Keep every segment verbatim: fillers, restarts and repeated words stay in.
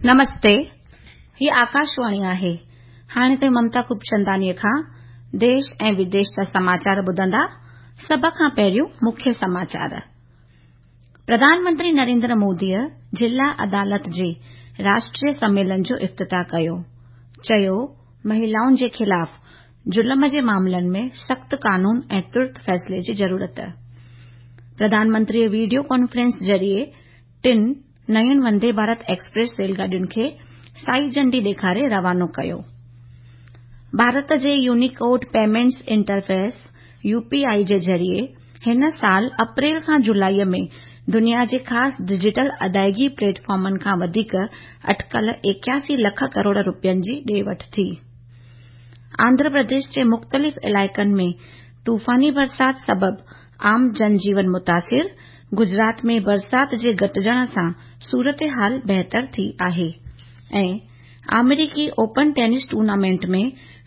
نمستي، هي آڪاشواڻي آهي. هاڻي توهين ممتا خوبچنداڻيءَ کان ديش ۽ وديش جا سماچار ٻڌندا. سڀ کان پهريون مکيه سماچار. پرڌان منتري نريندر موديءَ ضلع عدالت جي راشٽريه سميلن جو افتتاح ڪيو. چيو، مهلائن جي خلاف ظلم جي معاملن ۾ سخت قانون ۽ ترت فيصلي جي ضرورت. پرڌان منتريءَ وڊيو ڪانفرنس ذريعي ٽن نين وندي ڀارت ايڪسپريس ريل گاڏين کي سائي جهنڊي ڏيکاري روانو ڪيو. ڀارت جي Unicode payments interface U P I جي ذريعي هن سال اپريل کان جولاءِ ۾ دنيا جي خاص ڊجيٽل ادائيگي پليٽ فارمن کان وڌيڪ اٽڪل ايڪاسي لک ڪروڙ رپين جي ڏي وٺ ٿي. آنڌرا پرديش جي مختلف علائقن ۾ طوفاني برسات سبب عام جنجيون متاثر، گجرات ۾ برسات جي گهٽجڻ سان صورتحال بهتر ٿي آهي. ۽ آمريڪي open tennis tournament ۾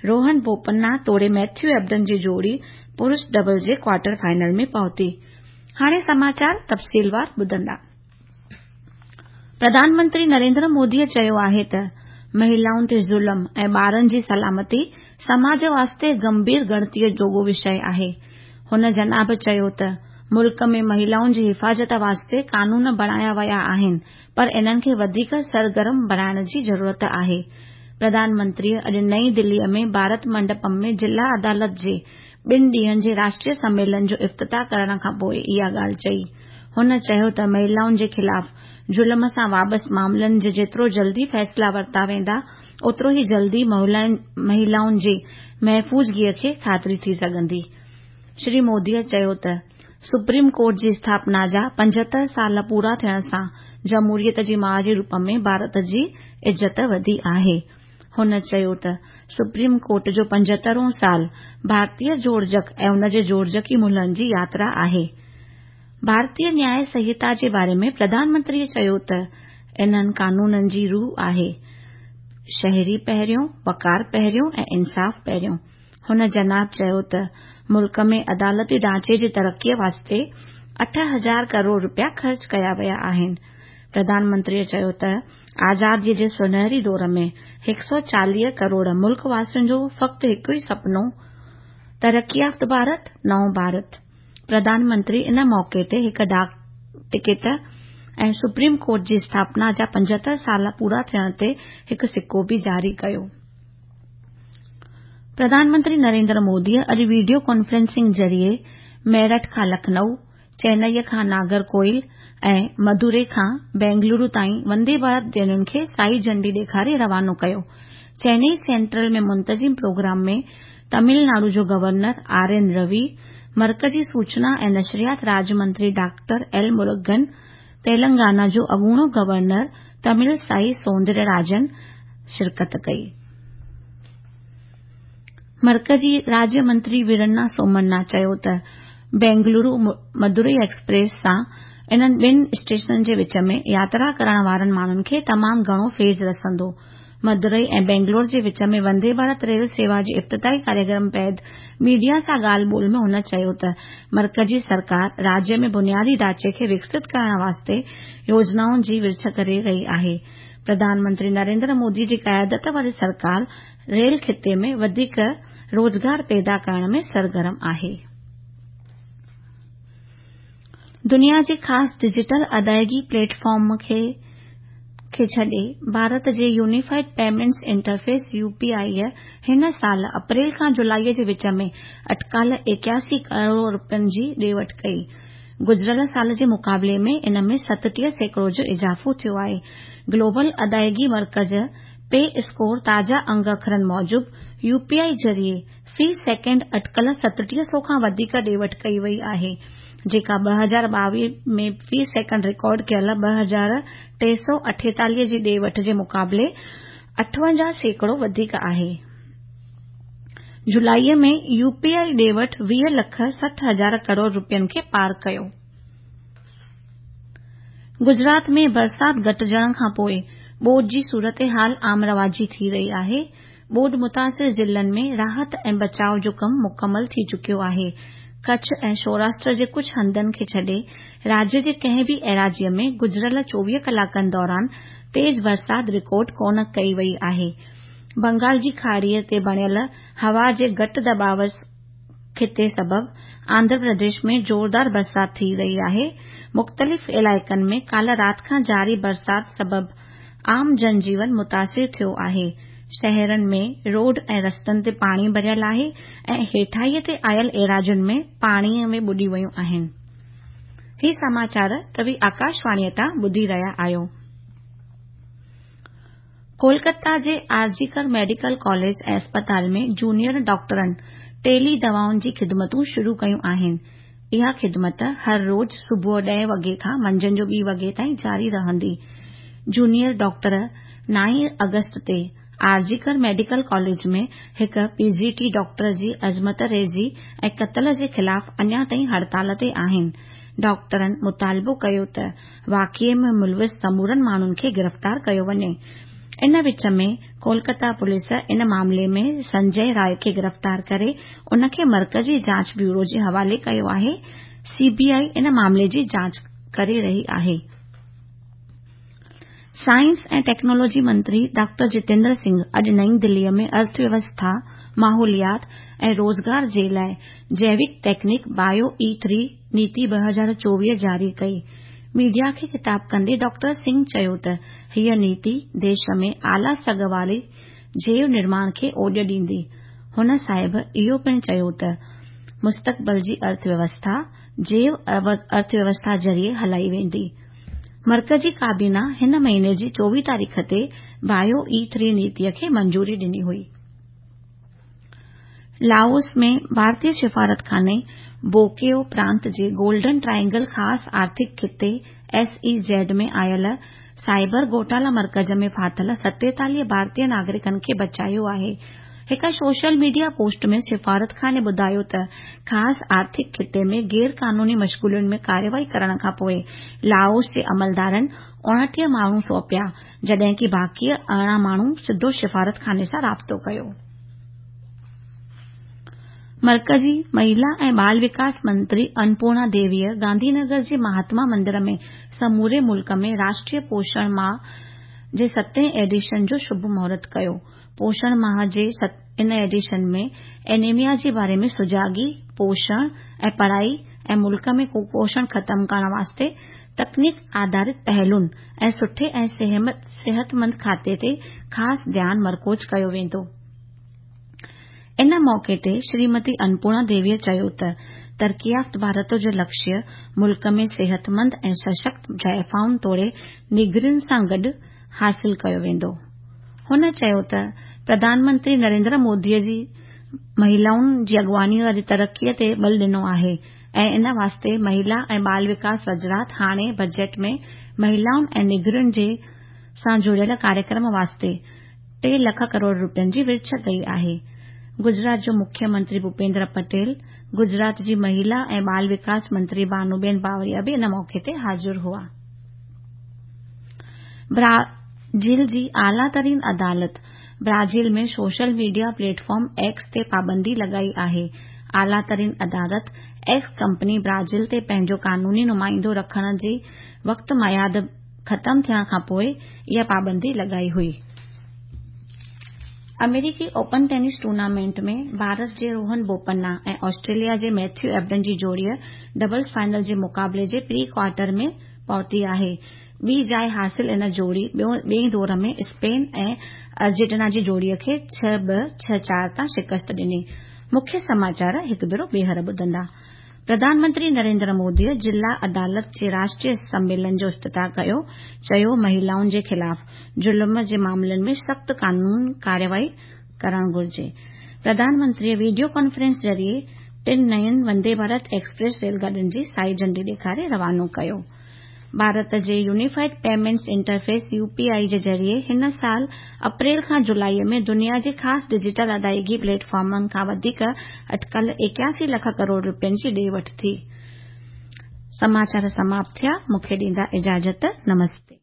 Rohan Bopanna توڙي ميٿيو ايبڊن جي جوڙي پرش ڊبلز جي ڪوارٽر فائنل ۾ پهتي. هاڻي سماچار تفصيلوار ٻڌندا. پرڌان منتري نريندر موديءَ چيو آهي ته مهلائن تي ظلم ۽ ٻارن جي سلامتي سماج واسطي گنڀير ڳڻتيءَ جوڳو وشيه آهي. هن جناب چيو ته ملڪ ۾ مهلائن جي حفاظت واسطي قانون بڻايا ويا آهن، پر انهن کي وڌيڪ سرگرم بڻائڻ جي ضرورت آهي. پرڌان منتريءَ اڄ نئين دليءَ ۾ ڀارت منڊپم ۾ ضلع عدالت جي ٻن ڏينهن جي راشٽريه سميلن جو افتتاح ڪرڻ کان پوءِ اها ڳالهه چئي. هن چيو ته مهلائن جي خلاف ظلم سان وابسته معاملن جي جيترو جلدي فيصلا ورتا ويندا، اوترو ئي جلدي مهلائن جي محفوظگيءَ کي خاطري ٿي سگهندي. شري موديءَ چيو ته سپريم ڪورٽ جي اسٿاپنا جا پنجهتر سال پورا ٿيڻ سان جمهوريت جي ماءُ جي روپ ۾ ڀارت جي عزت وڌي آهي. هن چيو ته سپريم ڪورٽ جو پنجهترهون سال ڀارتيه جوڙجڪ ۽ ان جي جوڙجڪي ملهن جي ياترا آهي. ڀارتيه نياءِ سنهتا جي باري ۾ پرڌان منتريءَ چيو ته انهن قانونن جي روح آهي شهري پهريون، وقار پهريون ۽ انصاف پهريون. هن جناب چيو ته ملڪ ۾ عدالتي ڍانچي جي ترقيءَ واسطي اٺ هزار ڪروڙ رپيا خرچ ڪيا ويا آهن. پرڌان منتريءَ چيو ته آزاديءَ جي سونهري دور ۾ هڪ سؤ چاليهه ڪروڙ ملڪ واسين جو فقط هڪ ئي سپنو ترقي يافته ڀارت، نئون ڀارت. پرڌان منتري ان موقعي تي هڪ ڊاڪ ticket ۽ supreme court جي اسٿاپنا جا پنجهتر سال پورا ٿيڻ تي هڪ سڪو به جاري ڪيو. پرڌان منتري نريندر موديءَ اڄ وڊيو ڪانفرنسنگ ذريعي ميرٺ کان لکنؤ، چنائيءَ کان ناگرڪوئل ۽ مدوري کان بينگلورو تائين وندي ڀارت ٽرينن کي سائي جهنڊي ڏيکاري روانو ڪيو. چنائي سينٽرل ۾ منتظم پروگرام ۾ تامل ناڊو جو گورنر آر اين روي، مرڪزي سوچنا ۽ نشريات راجيه منتري ڊاڪٽر ايل مرگن، تيلنگانا جو اڳوڻو گورنر تامل سائي سوندرراجن شرڪت ڪئي. مرڪزي راجيه منتري ويرنا سومنا چيو ته بينگلورو مدورئي ايڪسپريس سان انهن ٻن اسٽيشنن جي وچ ۾ ياترا ڪرڻ وارن ماڻهن کي تمام گهڻو فيض رسندو. مدورئي ۽ بينگلور جي وچ ۾ وندي ڀارت ريل سيوا جي افتتاحي ڪاريڪرم بعد ميڊيا سان ڳالهه ٻولهه ۾ هن چيو ته مرڪزي سرڪار راجيه ۾ بنيادي ڍانچي کي وڪست ڪرڻ واسطي يوجنائن جي ورڇ ڪري رهي آهي. پرڌان منتري نريندر مودي جي قيادت واري سرڪار ريل خطي ۾ وڌيڪ روزگار پيدا ڪرڻ ۾ سرگرم آهي. دنيا جي خاص ڊجيٽل ادائيگي پليٽ فارم کي ڇڏي ڀارت جي unified payments interface U P I هن سال اپريل کان جولاءِ جي وچ ۾ اٽڪل ايڪاسي ڪروڙ رپين جي ڏي وٺ ڪئي. گذريل سال جي مقابلي ۾ ان ۾ ستٽيهه سيڪڙو جو اضافو ٿيو آهي. گلوبل ادائيگي مرڪز پي اسڪور تازا انگ اکرن موجب يو پي آءِ ذريعي في سيڪنڊ اٽڪل ستٽيهه سؤ کان وڌيڪ ڏي وٺ ڪئي وئي آهي، جيڪا ٻه هزار ٻاويهه ۾ في سيڪنڊ رڪارڊ ڪيل ٻه هزار ٽي سؤ اٺيتاليهه جي ڏي وٺ جي مقابلي اٺونجاهه سيڪڙو وڌيڪ آهي. جولاءِ ۾ يو پي آءِ ڏي وٺ ويهه لک سٺ هزار ڪروڙ رپين کي پار ڪيو. گجرات ۾ برسات گهٽجڻ کان پوءِ ٻوڏ جي صورتحال عام رواجي ٿي رهي آهي. ٻوڏ متاثر ضلعن ۾ راحت ۽ بچاءُ جو ڪم مڪمل ٿي چڪيو آهي. ڪڇ ۽ سوراشٽر جي ڪجهه هنڌن کي ڇڏي راجيه جي ڪنهن به ايراضيء ۾ گذريل چوويهه ڪلاڪن دوران تيز برسات رڪارڊ ڪونه ڪئي وئي آهي. بنگال جي کاڙيء تي بڻيل هوا جي گهٽ دٻاء خطي سبب آنڌرا پرديش ۾ زوردار برسات ٿي رهي آهي. مختلف علائقن ۾ ڪالهه رات کان جاري برسات سبب عام جنجيون متاثر ٿيو آهي. شهرن ۾ روڊ ۽ رستن تي پاڻي ڀريل آهي ۽ هيٺاهينء تي آيل ايراضين ۾ پاڻيء ۾ ٻڏي ويون آهن. هي سماچار توهين آڪاشواڻيء تان ٻڌي رهيا آهيو. ڪولڪتا جي آرجي ڪر ميڊيڪل ڪاليج ۽ اسپتال ۾ جونيئر ڊاڪٽرن ٽيلي دوائن جي خدمتون شروع ڪيون آهن. اها خدمت هر روز صبح ڏهين وڳي کان منجهند جو ٻي وڳي تائين جاري رهندي. جونيئر ڊاڪٽر نائين آگسٽ تي آرجي ڪر ميڊيڪل ڪاليج ۾ هڪ پي جي ٽي ڊاڪٽر جي عصمت ريزي ۽ قتل جي خلاف اڃا تائين هڙتال تي آهن. ڊاڪٽرن مطالبو ڪيو ته واقعي ۾ ملوث سمورن ماڻهن کي گرفتار ڪيو وڃي. ان وچ ۾ ڪولڪتا پوليس ان معاملي ۾ سنجي راءِ کي گرفتار ڪري ان کي مرڪزي جاچ بيورو جي حوالي ڪيو آهي. سي بي آء ان معاملي جي جاچ ڪري رهي آهي. سائنس ۽ ٽيڪنالاجي منتري ڊاڪٽر جتيندر سنگهه اڄ نئين دليء ۾ ارٿويوسٿا، ماحوليات ۽ روزگار جي لاءِ جيوڪ تڪنيڪ بايو اي ٿري نيتي ٻه هزار چوويهه جاري ڪئي. ميڊيا کي خطاب ڪندي ڊاڪٽر سنگهه چيو ته هيءَ نيتي ديش ۾ اعليٰ سگهه واري جيو نرماڻ کي اوڄ ڏيندي. هن صاحب اهو پڻ چيو ته مستقبل جي ارٿويوسٿا جيو ارٿويوسٿا ذريعي هلائي ويندي. مرڪزي ڪابينا هن مهيني جي چوويهه تاريخ تي بايو اي ٿري نيتيءَ کي منظوري ڏني هئي. لاوس ۾ ڀارتيه سفارتخاني بوڪيو پرانت جي گولڊن ٽرائينگل خاص آرٿڪ خطي ايس اي زيڊ ۾ آيل سائبر گهوٽالا مرڪز ۾ ڦاٿل ستيتاليهه ڀارتيه ناگرڪن کي بچايو آهي. هڪ سوشل ميڊيا پوسٽ ۾ سفارتخاني ٻڌايو ته خاص آرٿڪ خطي ۾ غير قانوني مشغولين ۾ ڪارروائي ڪرڻ کانپوءِ لاوس جي عملدارن اوڻٽيهه ماڻهو سونپيا، جڏهن ڪه باقي ارڙهن ماڻهن سڌو سفارتخاني سان رابطو ڪيو. مرڪزي مهلا ۽ ٻال وڪاس منتري انپورڻا ديويء گانڌي نگر جي مهاتما مندر ۾ سموري ملڪ ۾ راشٽريه پوشڻ ماهه جي ستين ايڊيشن جو شڀ مهورت ڪيو. پوشڻ ماهه جي ان ايڊيشن ۾ اينيميا جي باري ۾ سجاڳي، پوشڻ ۽ پڙهائي ۽ ملڪ ۾ ڪپوشڻ ختم ڪرڻ واسطي تڪنيڪ آڌارت پهلن ۽ سٺي ۽ صحتمند کاڌي تي خاص ڌيان مرڪوز ڪيو ويندو. ان موقعي تي شريمتي انپورڻا ديويءَ چيو ته ترقي يافته ڀارت جو لڪشيه ملڪ ۾ صحتمند ۽ سشڪت زائفائن توڙي نينگرين سان گڏ حاصل ڪيو ويندو. هن چيو ته پرڌان منتري نريندر موديءَ جي مهلائن جي اڳواڻيءَ واري ترقيءَ تي ٻل ڏنو آهي ۽ ان واسطي مهلا ۽ ٻال وڪاس وزارت هاڻي بجيٽ ۾ مهلائن ۽ نينگرين جي سان جڙيل ڪاريڪرم واسطي ٽي لک ڪروڙ رپين جي ورڇ ڪئي آهي. گجرات جو مکيه منتري ڀوپيندر پٽيل، گجرات جي مهلا ۽ ٻال وڪاس منتري ڀانوبين باوريا به ان موقعي تي حاضر هئا. برازيل جي اعليٰ ترين عدالت Brazil ۾ social media platform X تي پابندي لڳائي آهي. اعليٰ ترين عدالت ايڪس ڪمپني برازيل تي پنهنجو قانوني نمائندو رکڻ جي وقت ميعاد ختم ٿيڻ کانپوءِ اها پابندي لڳائي هئي. آمريڪي اوپن ٽينس ٽورنامينٽ ۾ ڀارت جي روهن بوپنا ۽ آسٽريليا جي ميٿيو ايبڊن جي جوڙي ڊبلز فائنل جي مقابلي جي پري ڪوارٽر ۾ پهتي آهي. ٻي جاءِ حاصل ان جوڙي ٻئي دور ۾ اسپين ۽ ارجنٽينا جي جوڙي کي ڇهه ٻه ڇهه چار تان شڪست ڏني. مکيه سماچار هڪ ڀيرو ٻيهر ٻڌندا. پرڌان منتري نريندر موديءَ ضلع عدالت جي راشٽريه سميلن جو افتتاح ڪيو، چيو مهلائن جي خلاف ظلم جي معاملن ۾ سخت قانوني ڪارروائي ڪرڻ گهرجي. پرڌان منتريءَ وڊيو ڪانفرنس ذريعي ٽن نين وندي ڀارت ايڪسپريس ريل گاڏين جي سائي جهنڊي ڏيکاري روانو ڪيو. ڀارت جي unified payments interface U P I جي ذريعي هن سال اپريل کان جولاءِ ۾ دنيا جي خاص ڊجيٽل ادائيگي پليٽ فارمن کان وڌيڪ اٽڪل ايڪاسي لک ڪروڙ رپين جي ڏي وٺ ٿي. سماچار سماپت ٿيا. مون کي ڏيندا اجازت. نمستي.